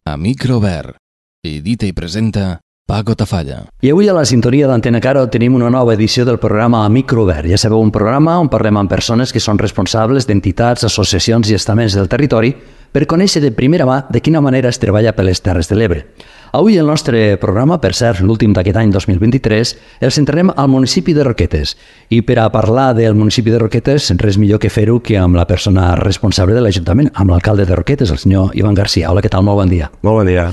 A microobert. Edita i presenta Paco Tafalla. I avui a la sintonia d'Antena Caro tenim una nova edició del programa A microobert. Ja sabeu, un programa on parlem amb persones que són responsables d'entitats, associacions i estaments del territori per conèixer de primera mà de quina manera es treballa per les Terres de l'Ebre. Avui el nostre programa, per cert, l'últim d'aquest any 2023, el centrarem al municipi de Roquetes. I per a parlar del municipi de Roquetes, res millor que fer-ho que amb la persona responsable de l'Ajuntament, amb l'alcalde de Roquetes, el senyor Ivan García. Hola, què tal? Molt bon dia. Molt bon dia.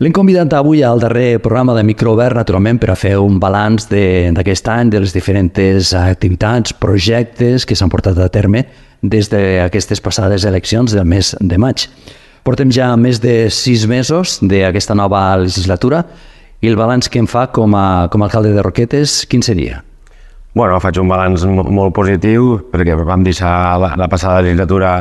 L'hem convidat avui al darrer programa de Microobert, naturalment, per a fer un balanç d'aquest any, de les diferents activitats, projectes que s'han portat a terme des d'aquestes passades eleccions del mes de maig. Portem ja més de 6 mesos d'aquesta nova legislatura i el balanç que em fa com a alcalde de Roquetes, quin seria? Bueno, faig un balanç molt positiu perquè vam deixar la passada legislatura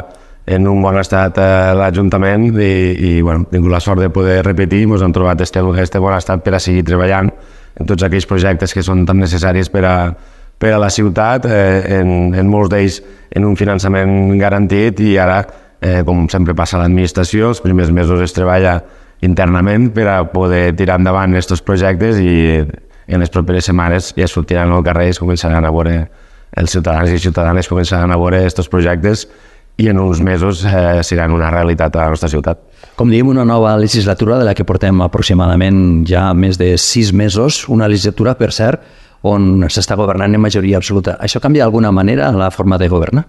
en un bon estat l'Ajuntament i bueno, tinc la sort de poder repetir. Ens hem trobat este bon estat per a seguir treballant en tots aquells projectes que són tan necessaris per a la ciutat, en molts d'ells en un finançament garantit, i ara, com sempre passa a l'administració, els primers mesos es treballa internament per a poder tirar endavant aquests projectes i en les properes setmanes ja sortiran al carrer i es començaran a veure, els ciutadans i ciutadanes començaran a veure aquests projectes i en uns mesos seran una realitat a la nostra ciutat. Com diem, una nova legislatura de la que portem aproximadament ja més de 6 mesos, una legislatura, per cert, on s'està governant en majoria absoluta. Això canvia d'alguna manera la forma de governar?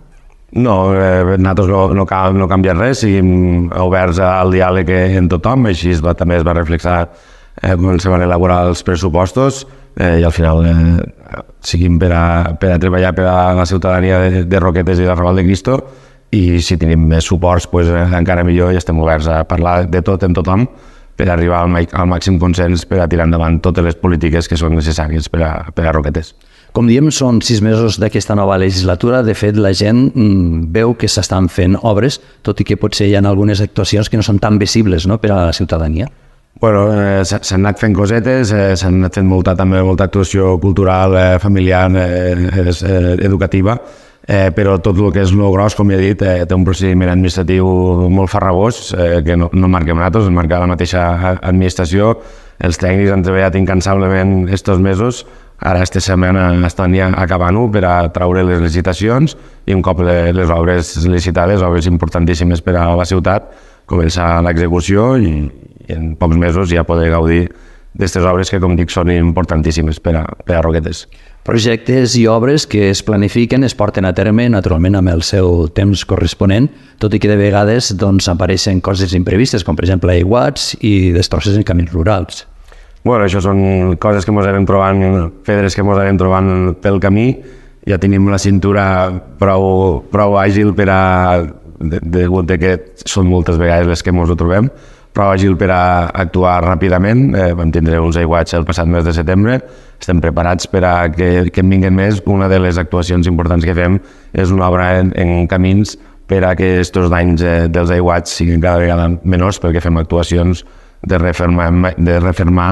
No, nosaltres no canvia res, siguem oberts al diàleg en tothom, així també es va reflexar quan se van elaborar els pressupostos i al final seguim per a treballar per a la ciutadania de Roquetes i de Raval de Cristo, i si tenim més suports encara millor, i estem oberts a parlar de tot amb tothom per arribar al màxim consens per a tirar endavant totes les polítiques que són necessàries per a Roquetes. Com diem, són 6 mesos d'aquesta nova legislatura. De fet, la gent veu que s'estan fent obres, tot i que potser hi ha algunes actuacions que no són tan visibles, no?, per a la ciutadania. Bueno, s'han anat fent cosetes, s'han anat fent també molta actuació cultural, familiar, educativa, però tot el que és el gros, com he dit, té un procediment administratiu molt farragós, que no marquem nosaltres, marca la mateixa administració. Els tècnics han treballat incansablement aquests mesos. Ara aquesta setmana estan ja acabant-ho per a traure les licitacions i un cop les obres licitades, obres importantíssimes per a la ciutat, començar l'execució i en pocs mesos ja poder gaudir d'aquestes obres que, com dic, són importantíssimes per a Roquetes. Projectes i obres que es planifiquen, es porten a terme, naturalment, amb el seu temps corresponent, tot i que de vegades apareixen coses imprevistes, com per exemple aiguats i destrosses en camins rurals. Bueno, això són coses que ens anem trobant, pedres que ens anem trobant pel camí. Ja tenim la cintura prou àgil per a, degut que són moltes vegades les que ens ho trobem, prou àgil per a actuar ràpidament. Vam tindre uns aiguats el passat mes de setembre. Estem preparats per a que en vinguin més. Una de les actuacions importants que fem és una obra en camins per a que aquests danys dels aiguats siguin cada vegada menors, perquè fem actuacions de refermar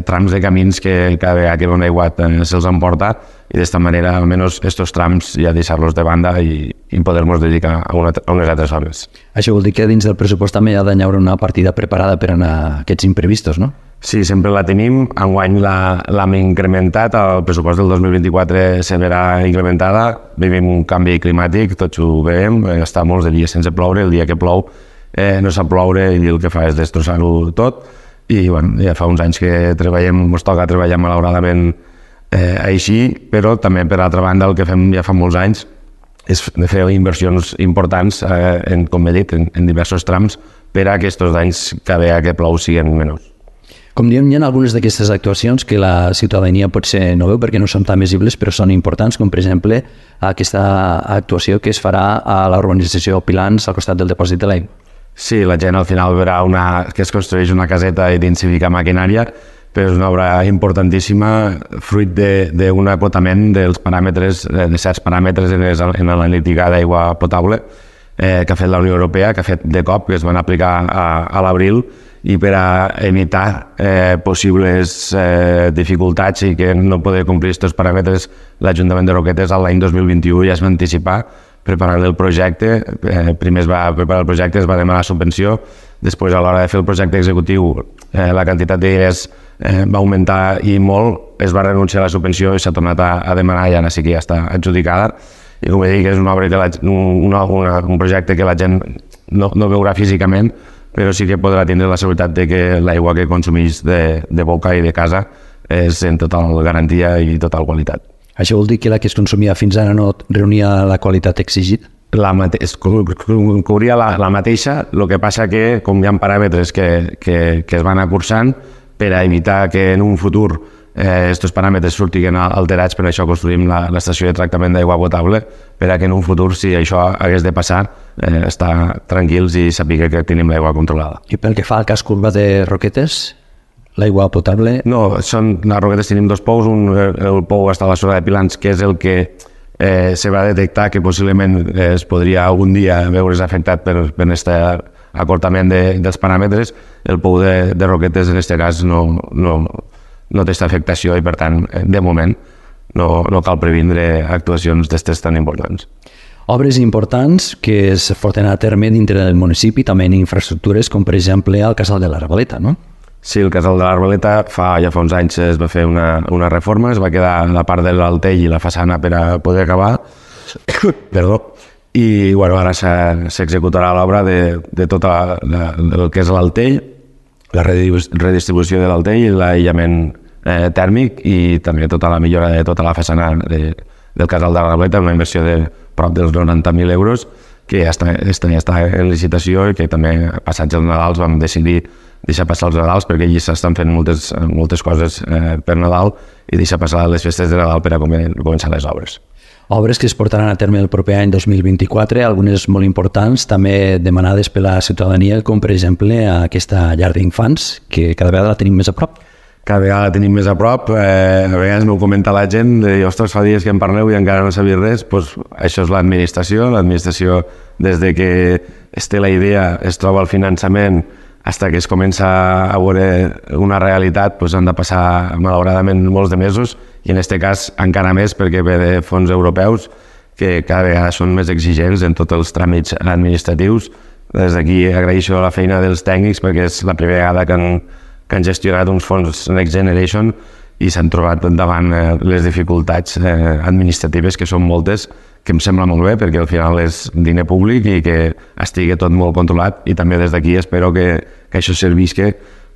trams de camins que cada vegada que un aiguat se'ls emporta, i d'esta manera almenys aquests trams ja deixar-los de banda i poder-nos dedicar a unes altres obres. Això vol dir que dins del pressupost també hi ha d'haver una partida preparada per a aquests imprevistos, no? Sí, sempre la tenim. Enguany l'hem incrementat, el pressupost del 2024 se verà incrementada. Vivim un canvi climàtic, tots ho veiem, està molts de dies sense ploure, el dia que plou no sap ploure i el que fa és destrossar-ho tot. I bueno, ja fa uns anys que ens toca treballar malauradament així, però també per altra banda el que fem ja fa molts anys és fer inversions importants, com he dit, en diversos trams per a que aquests danys cada vegada que plou siguin menors. Com diem, hi ha algunes d'aquestes actuacions que la ciutadania potser no veu perquè no són tan visibles, però són importants, com per exemple aquesta actuació que es farà a la urbanització Pilans al costat del depòsit de l'aigua. Sí, la gent al final verà que es construeix una caseta i d'incivica maquinària, però és una obra importantíssima, fruit d'un acotament dels paràmetres, de certs paràmetres en l'analítica d'aigua potable que ha fet la Unió Europea, que ha fet de cop, que es van aplicar a l'abril, i per a evitar possibles dificultats i que no poder complir aquests paràmetres, l'Ajuntament de Roquetes l'any 2021 ja es va anticipar preparant el projecte. Primer es va preparar el projecte, es va demanar subvenció, Després, a l'hora de fer el projecte executiu, la quantitat d'ideies va augmentar i molt, es va renunciar a la subvenció i s'ha tornat a demanar i ara sí que ja està adjudicada. I com he dit, és una obra un projecte que la gent no veurà físicament, però sí que podrà tindre la seguretat de que l'aigua que consumeix de boca i de casa és en total garantia i total qualitat. Això vol dir que la que es consumia fins ara no reunia la qualitat exigida? Cobria la mateixa, el que passa que com hi ha paràmetres que es van acursant per a evitar que en un futur aquests paràmetres surtin alterats, per això construïm l'estació de tractament d'aigua potable, per a que en un futur, si això hagués de passar, estar tranquils i saber que tenim l'aigua controlada. I pel que fa al cas Curva de Roquetes, l'aigua potable... No, les Roquetes tenim dos pous, el pou està a la zona de Pilans, que és el que se va detectar que possiblement es podria algun dia veure's afectat per aquest acortament dels paràmetres. El pou de Roquetes en aquest cas no té aquesta afectació i per tant de moment no cal previndre actuacions d'estes tan importants. Obres importants que es porten a terme dintre del municipi, també en infraestructures com per exemple el Casal de l'Arbaleta, no? Sí, el Casal de l'Arbaleta ja fa uns anys es va fer una reforma, es va quedar la part de l'altell i la façana per a poder acabar, i ara s'executarà l'obra de tot el que és l'altell, la redistribució de l'altell i l'aïllament tèrmic i també tota la millora de tota la façana del Casal de l'Arbaleta, una inversió de prop dels 90.000 euros, que ja està en licitació i que també passats els Nadals vam decidir deixar passar els Nadals perquè allí s'estan fent moltes coses per Nadal i deixar passar les festes de Nadal per a començar les obres. Obres que es portaran a terme el proper any 2024, algunes molt importants, també demanades per la ciutadania, com per exemple aquesta llar d'infants, que cada vegada la tenim més a prop. Cada vegada la tenim més a prop, a vegades m'ho comenta la gent, de ostres, fa dies que en parleu i encara no sabia res, doncs això és l'administració des de que es té la idea, es troba el finançament, fins que es comença a veure una realitat, han de passar malauradament molts de mesos i en aquest cas encara més perquè ve de fons europeus que cada vegada són més exigents en tots els tràmits administratius. Des d'aquí agraeixo la feina dels tècnics perquè és la primera vegada que han gestionat uns fons Next Generation i s'han trobat davant les dificultats administratives, que són moltes, que em sembla molt bé perquè al final és diner públic i que estigui tot molt controlat, i també des d'aquí espero que això servisca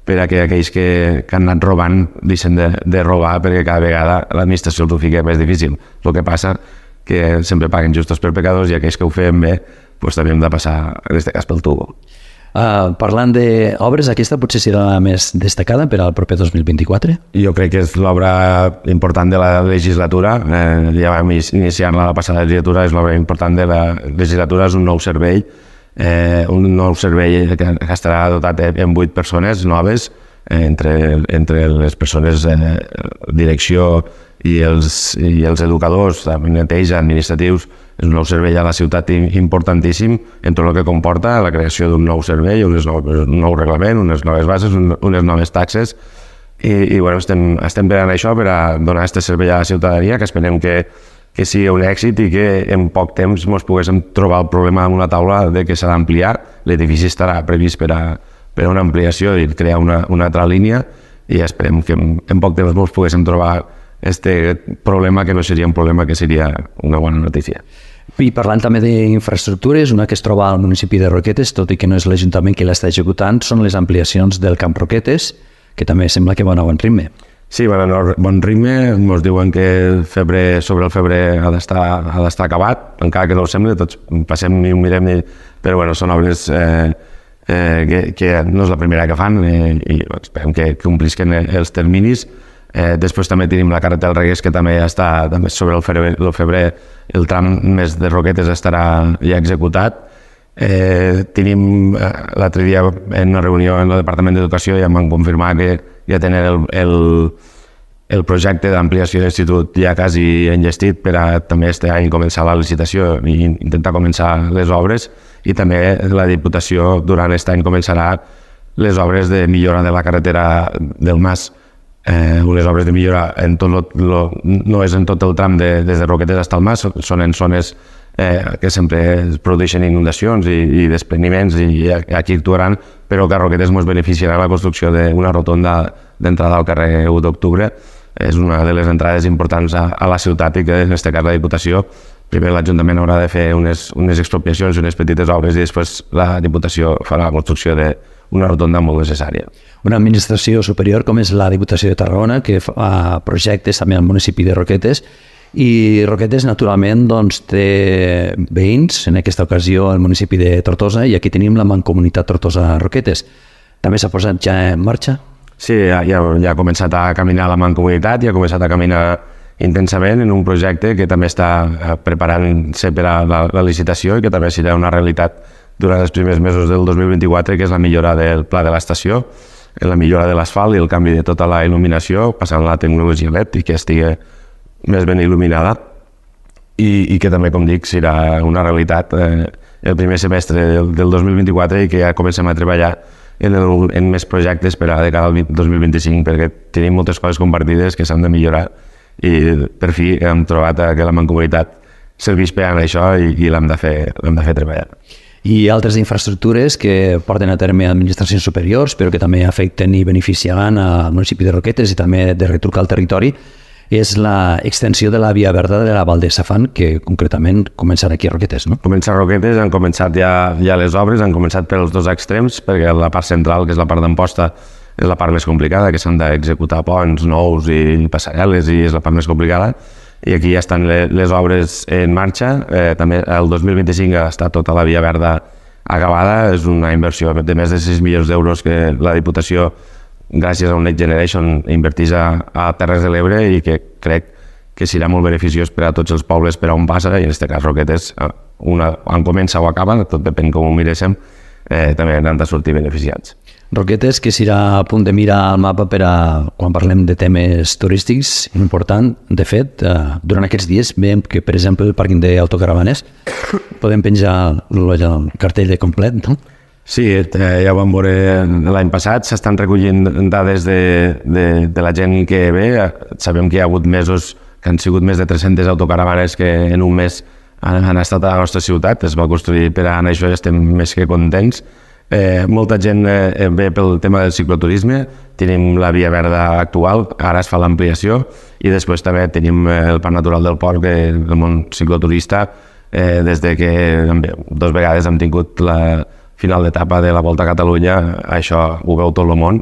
per a que aquells que han anat robant deixen de robar, perquè cada vegada l'administració els ho fica més difícil. El que passa que sempre paguen justos per pecadors i aquells que ho fem bé també hem de passar, en aquest cas, pel tubo. Parlant d'obres, aquesta potser serà la més destacada per al proper 2024? Jo crec que és l'obra important de la legislatura. Ja vam iniciar-la la passada legislatura, és l'obra important de la legislatura, és un nou servei que estarà dotat amb 8 persones noves, entre les persones direcció i els educadors, neteja, administratius. És un nou servei a la ciutat importantíssim en tot el que comporta la creació d'un nou servei, un nou reglament, unes noves bases, unes noves taxes, i estem per això, per a donar aquest servei a la ciutadania, que esperem que sigui un èxit i que en poc temps ens poguéssim trobar el problema damunt la taula de que s'ha d'ampliar. L'edifici estarà previst per a una ampliació i crear una altra línia, i esperem que en poc temps ens poguéssim trobar aquest problema, que no seria un problema, que seria una bona notícia. I parlant també d'infraestructures, una que es troba al municipi de Roquetes, tot i que no és l'Ajuntament qui l'està executant, són les ampliacions del Camp Roquetes, que també sembla que van a bon ritme. Sí, van a bon ritme, ens diuen que sobre el febrer ha d'estar acabat, encara que no ho sembla, tots passem i ho mirem, però són obres que no és la primera que fan i esperem que complisquen els terminis. Després també tenim la carretera del Reguers, que també està sobre el febrer, el tram més de Roquetes estarà ja executat. Tenim l'altre dia en una reunió en el Departament d'Educació ja em van confirmar que ja tenen el projecte d'ampliació de l'institut ja quasi enllestit per a també aquest any començar la licitació i intentar començar les obres, i també la Diputació durant aquest any començarà les obres de millora de la carretera del Mas. Unes obres de millora no és en tot el tram des de Roquetes fins al Mas, són en zones que sempre es produeixen inundacions i despreniments i aquí actuaran, però que Roquetes ens beneficiarà la construcció d'una rotonda d'entrada al carrer 1 d'octubre. És una de les entrades importants a la ciutat i que en aquest cas la Diputació, primer l'Ajuntament haurà de fer unes expropiacions, unes petites obres i després la Diputació farà la construcció d'una rotonda molt necessària. Una administració superior com és la Diputació de Tarragona, que fa projectes també al municipi de Roquetes, i Roquetes, naturalment, doncs, té veïns, en aquesta ocasió el municipi de Tortosa, i aquí tenim la Mancomunitat Tortosa-Roquetes. També s'ha posat ja en marxa? Sí, ja ha començat a caminar la Mancomunitat, ja ha començat a caminar intensament en un projecte que també està preparant-se per a la licitació i que també serà una realitat durant els primers mesos del 2024, que és la millora del pla de l'estació, la millora de l'asfalt i el canvi de tota la il·luminació, passant a la tecnologia LED i que estigui més ben il·luminada i que també, com dic, serà una realitat el primer semestre del 2024 i que ja comencem a treballar en més projectes per a de cara al 2025 perquè tenim moltes coses compartides que s'han de millorar i per fi hem trobat que la Mancomunitat serveix per a això i l'hem de fer treballar. I altres infraestructures que porten a terme administracions superiors però que també afecten i beneficiaran al municipi de Roquetes i també de retruc al territori és l'extensió de la via verda de la Val de Safant, que concretament començarà aquí a Roquetes, no? Comença a Roquetes, han començat ja les obres, han començat pels dos extrems, perquè la part central, que és la part d'Amposta, és la part més complicada, que s'han d'executar ponts nous i passarel·les i és la part més complicada. I aquí ja estan les obres en marxa. També el 2025 està tota la via verda acabada, és una inversió de més de 6 milions d'euros que la Diputació gràcies a un Next Generation invertís a Terres de l'Ebre i que crec que serà molt beneficiós per a tots els pobles per a on passa i en aquest cas Roquetes, on comença o acaba, tot depèn com ho miréssim, també han de sortir beneficiats. Roquetes, que serà a punt de mirar al mapa per a quan parlem de temes turístics, important. De fet, durant aquests dies veiem que, per exemple, el pàrquing d'autocaravanes podem penjar el cartell de complet, no? Sí, ja ho vam veure l'any passat, s'estan recollint dades de la gent que ve. Sabem que hi ha hagut mesos que han sigut més de 300 autocaravanes que en un mes han estat a la nostra ciutat, es va construir per a això i estem més que contents. Molta gent ve pel tema del cicloturisme, tenim la via verda actual, ara es fa l'ampliació i després també tenim el Parc Natural del Port, que el món cicloturista, des de que 2 vegades hem tingut la final d'etapa de la Volta a Catalunya, això ho veu tot el món.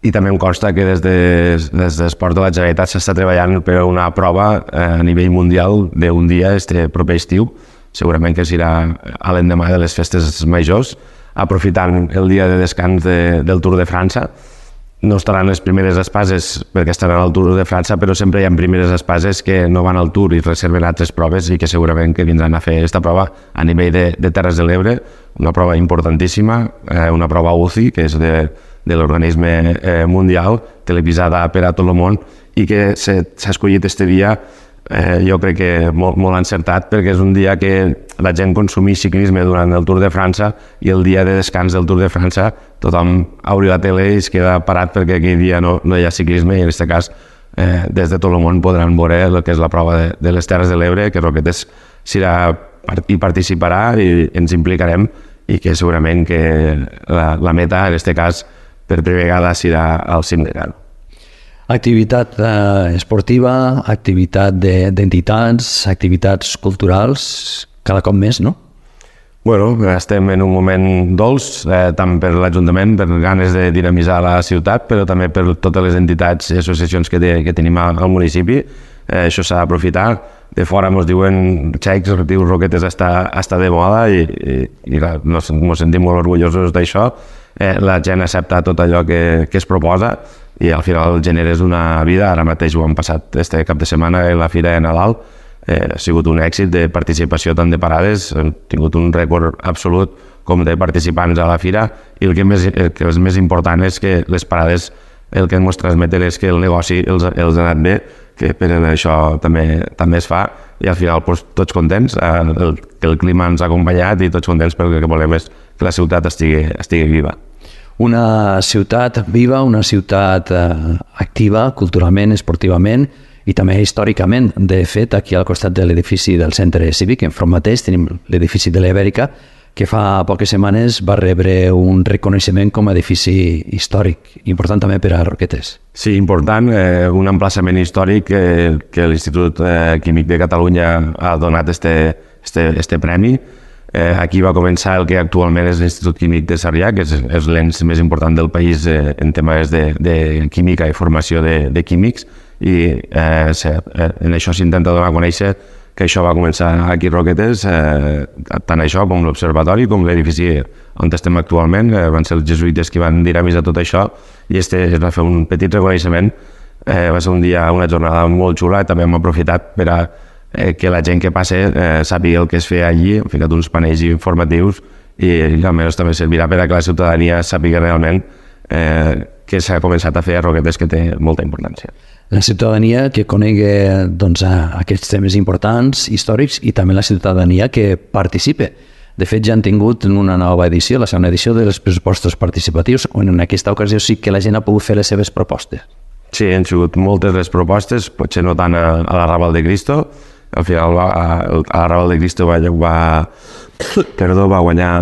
I també em consta que des d'Esport de la Generalitat s'està treballant per una prova a nivell mundial d'un dia este proper estiu, segurament que serà a l'endemà de les festes majors, aprofitant el dia de descans del Tour de França. No estaran les primeres espases perquè estaran al Tour de França, però sempre hi ha primeres espases que no van al Tour i reserven altres proves i que segurament que vindran a fer aquesta prova a nivell de Terres de l'Ebre, una prova importantíssima, una prova UCI, que és de l'organisme mundial, televisada per a tot el món i que s'ha escollit este dia, jo crec que molt encertat, perquè és un dia que la gent consumeix ciclisme durant el Tour de França i el dia de descans del Tour de França tothom obri la tele i es queda parat perquè aquell dia no hi ha ciclisme i en aquest cas des de tot el món podran veure el que és la prova de les Terres de l'Ebre, que Roquetes hi participarà i ens implicarem i que segurament que la meta en aquest cas per primera vegada serà al cim de Caro. Activitat esportiva, activitat d'entitats, activitats culturals, cada cop més, no? Bueno, estem en un moment dolç, tant per l'Ajuntament, per ganes de dinamitzar la ciutat, però també per totes les entitats i associacions que tenim al municipi. Això s'ha d'aprofitar. De fora ens diuen xecs, diu Roquetes està de moda i ens sentim molt orgullosos d'això. La gent accepta tot allò que es proposa i al final generes una vida. Ara mateix ho hem passat este cap de setmana en la Fira de Nadal, ha sigut un èxit de participació tant de parades, hem tingut un rècord absolut com de participants a la Fira i el que és més important és que les parades el que ens transmeten és que el negoci els ha anat bé, que per això també es fa i al final tots contents, que el clima ens ha acompanyat i tots contents perquè el que volem és que la ciutat estigui viva. Una ciutat viva, una ciutat activa culturalment, esportivament i també històricament. De fet, aquí al costat de l'edifici del centre cívic, enfront mateix, tenim l'edifici de l'Ibèrica, que fa poques setmanes va rebre un reconeixement com a edifici històric, important també per a Roquetes. Sí, important, un emplaçament històric que l'Institut Químic de Catalunya ha donat este premi. Aquí va començar el que actualment és l'Institut Químic de Sarrià, que és l'ens més important del país en temes de química i formació de químics, i en això s'intenta donar a conèixer que això va començar aquí a Roquetes, tant això com l'observatori, com l'edifici on estem actualment. Van ser els jesuïtes que van dinamitzar tot això, i es va fer un petit reconeixement. Va ser una jornada molt xula, i també hem aprofitat per a que la gent que passa sàpiga el que es feia allí. Hem ficat uns panells informatius, i almenys també servirà per a que la ciutadania sàpiga realment què s'ha començat a fer a Roquetes, que té molta importància. La ciutadania que conegui aquests temes importants, històrics, i també la ciutadania que participe. De fet, ja han tingut una nova edició, la segona edició dels pressupostos participatius, on en aquesta ocasió sí que la gent ha pogut fer les seves propostes. Sí, han sigut moltes les propostes, potser no tant a la Raval de Cristo. Al final, a la Raval de Cristo va guanyar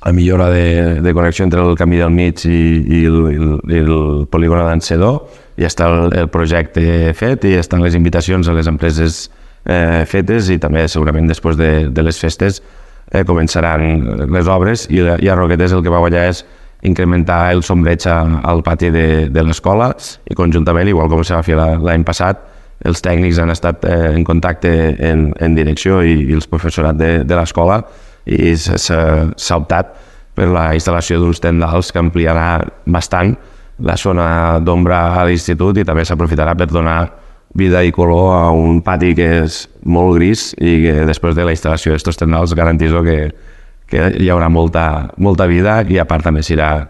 la millora de connexió entre el camí del mig i el polígon d'Encedó. Ja està el projecte fet, i estan les invitacions a les empreses fetes, i també segurament després de les festes començaran les obres, i a Roquetes el que va guanyar és incrementar el sombreig al pati de l'escola, i conjuntament, igual com se va fer l'any passat, els tècnics han estat en contacte en direcció i els professorat de l'escola, i s'ha optat per la instal·lació d'uns tendals que ampliarà bastant la zona d'ombra a l'institut, i també s'aprofitarà per donar vida i color a un pati que és molt gris, i que després de la instal·lació d'aquests tendals garantizo que hi haurà molta vida, i a part també serà,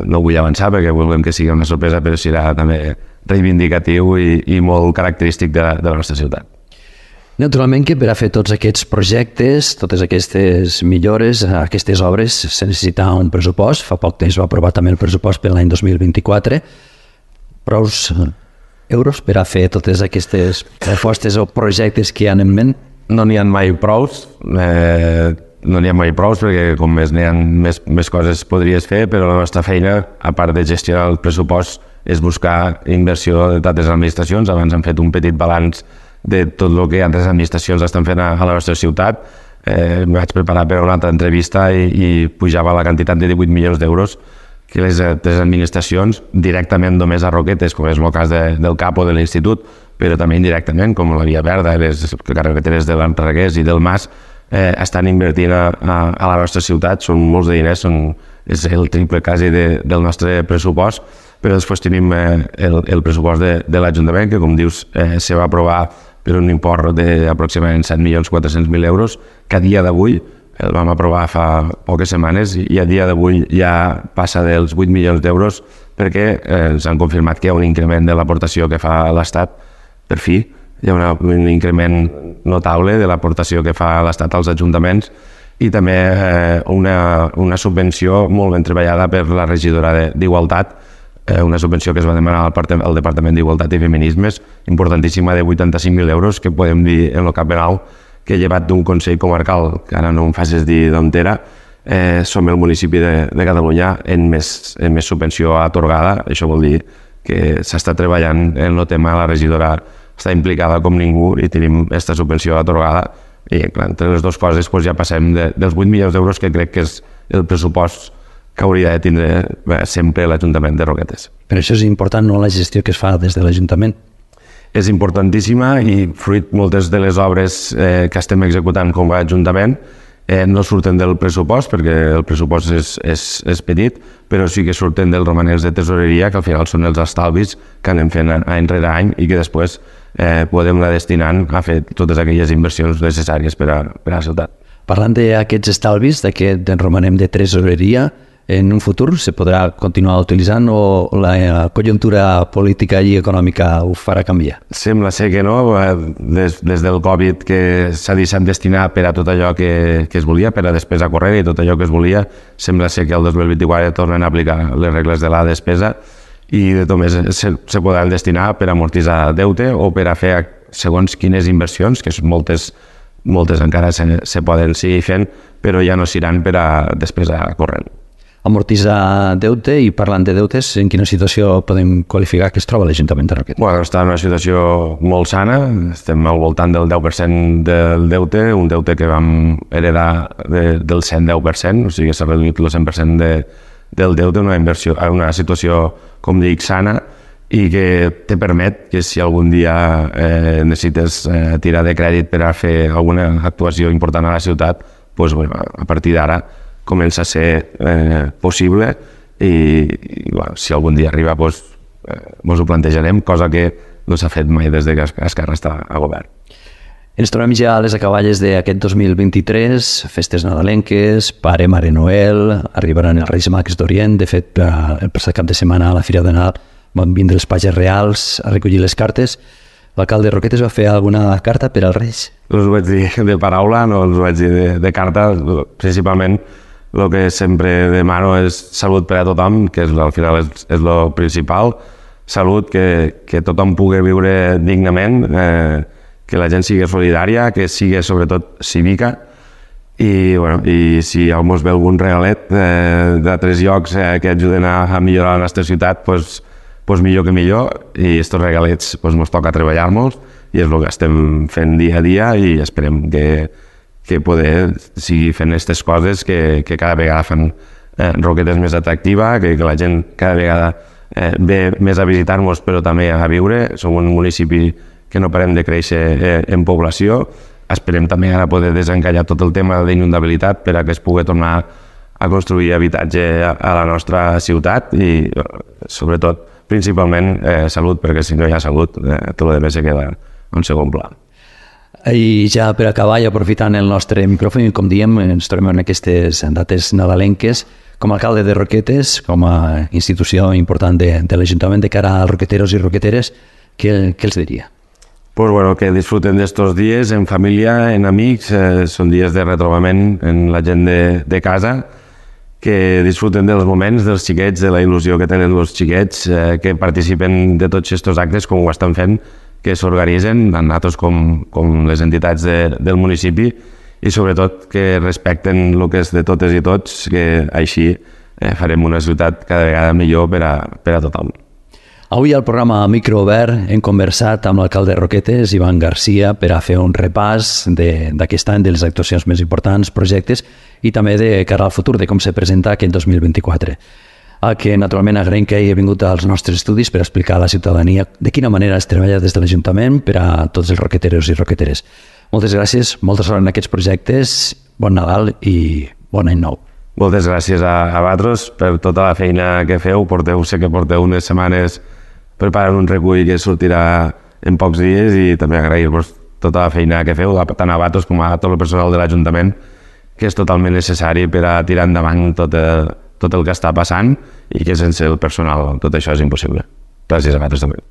no vull avançar perquè volem que sigui una sorpresa, però serà també reivindicatiu i molt característic de la nostra ciutat. Naturalment que per a fer tots aquests projectes, totes aquestes millores, aquestes obres, se necessita un pressupost. Fa poc temps va aprovar també el pressupost per l'any 2024. Prous euros per a fer totes aquestes propostes o projectes que hi ha en ment? No n'hi ha mai prous, perquè com més n'hi ha més coses podries fer, però la nostra feina, a part de gestionar el pressupost, és buscar inversió de totes les administracions. Abans hem fet un petit balanç de tot el que altres administracions estan fent a la nostra ciutat. Em vaig preparar per a una altra entrevista i pujava la quantitat de 18 milions d'euros que les administracions, directament només a Roquetes, com és el cas del CAP o de l'Institut, però també indirectament, com la Via Verda, les carreteres de l'Enregués i del Mas, estan invertint a la nostra ciutat. Són molts de diners, és el triple quasi del nostre pressupost, però després tenim el pressupost de l'Ajuntament, que com dius se va aprovar per un import d'aproximadament 7.400.000 euros, que a dia d'avui el vam aprovar fa poques setmanes, i a dia d'avui ja passa dels 8 milions d'euros, perquè ens han confirmat que hi ha un increment de l'aportació que fa l'Estat. Per fi hi ha un increment notable de l'aportació que fa l'Estat als ajuntaments, i també una subvenció molt ben treballada per la regidora d'Igualtat, una subvenció que es va demanar al Departament d'Igualtat i Feminismes, importantíssima, de 85.000 euros, que podem dir en el cap ben alt que, llevat d'un Consell Comarcal, que ara no em facis dir d'on era, som el municipi de Catalunya en més subvenció atorgada. Això vol dir que s'està treballant en el tema, la regidora està implicada com ningú, i tenim aquesta subvenció atorgada, i clar, entre les dues coses ja passem dels 8 milions d'euros, que crec que és el pressupost que hauria de tindre sempre l'Ajuntament de Roquetes. Per això és important, no, la gestió que es fa des de l'Ajuntament? És importantíssima, i fruit moltes de les obres que estem executant com a Ajuntament no surten del pressupost, perquè el pressupost és petit, però sí que surten dels romanents de tesoreria, que al final són els estalvis que anem fent any rere any, i que després podem anar destinant a fer totes aquelles inversions necessàries per a la ciutat. Parlant d'aquests estalvis, d'aquest romanem de tesoreria, en un futur se podrà continuar utilitzant, o la conjuntura política i econòmica ho farà canviar? Sembla ser que no. Des del Covid, que s'ha deixat destinar per a tot allò que es volia, per a despesa corrent i tot allò que es volia, sembla ser que el 2024 tornen a aplicar les regles de la despesa, i de tot més se poden destinar per amortitzar deute o per a fer segons quines inversions, que moltes encara se poden seguir fent, però ja no seran per a despesa corrent. Amortitzar deute, i parlant de deutes, en quina situació podem qualificar que es troba l'Ajuntament de Roquetes? Bueno, està en una situació molt sana, estem al voltant del 10% del deute, un deute que vam heredar del 110%, o sigui que s'ha reduït el 100% del deute, una situació, com dic, sana, i que te permet que si algun dia necessites tirar de crèdit per a fer alguna actuació important a la ciutat, doncs, bueno, a partir d'ara comença a ser possible i bueno, si algun dia arriba doncs ho plantejarem, cosa que no s'ha fet mai des que Esquerra està a govern. Ens trobem ja a les acaballes d'aquest 2023, festes nadalenques, Pare, Mare Noel, arribaran els Reis Mags d'Orient. De fet, el passat cap de setmana a la Fira de Nadal van vindre els pages reals a recollir les cartes. L'alcalde Roquetes va fer alguna carta per als Reis? No us ho vaig dir de paraula, no us ho vaig dir de carta. Principalment el que sempre demano és salut per a tothom, que al final és el principal. Salut, que tothom pugui viure dignament, que la gent sigui solidària, que sigui sobretot cívica, i si ens ve algun regalet d'altres llocs que ajuden a millorar la nostra ciutat, doncs millor que millor, i aquests regalets ens toca treballar-nos, i és el que estem fent dia a dia, i esperem que poder seguir fent aquestes coses que cada vegada fan Roquetes més atractiva, que la gent cada vegada ve més a visitar-nos però també a viure. Som un municipi que no parem de créixer en població. Esperem també ara poder desencallar tot el tema d'inundabilitat per a que es pugui tornar a construir habitatge a la nostra ciutat i sobretot, principalment, salut, perquè si no hi ha salut tot el que se queda en segon pla. I ja per acabar, i aprofitant el nostre micròfon, com diem, ens trobem en aquestes dates nadalenques. Com a alcalde de Roquetes, com a institució important de l'Ajuntament de cara als roqueteros i roqueteres, què els diria? Pues bueno, que disfruten d'estos dies en família, en amics, són dies de retrobament en la gent de casa, que disfruten dels moments, dels xiquets, de la il·lusió que tenen els xiquets, que participen de tots aquests actes com ho estan fent, que s'organitzen, tant nosaltres com les entitats del municipi, i sobretot que respecten el que és de totes i tots, que així farem una ciutat cada vegada millor per a tothom. Avui al programa Micro Obert hem conversat amb l'alcalde de Roquetes, Ivan Garcia, per a fer un repàs d'aquest any, de les actuacions més importants, projectes, i també de cara al futur, de com se presenta aquest 2024. A que naturalment agraïm que hagi vingut als nostres estudis per explicar a la ciutadania de quina manera es treballa des de l'Ajuntament per a tots els roqueteros i roqueteres. Moltes gràcies, molta sort en aquests projectes, bon Nadal i bon any nou. Moltes gràcies a vosaltres per tota la feina que feu. Sé que porteu unes setmanes preparant un recull que sortirà en pocs dies, i també agrair-vos tota la feina que feu, tant a vosaltres com a tot el personal de l'Ajuntament, que és totalment necessari per a tirar endavant tot el que està passant, i que sense el personal tot això és impossible. Gràcies a vosaltres també.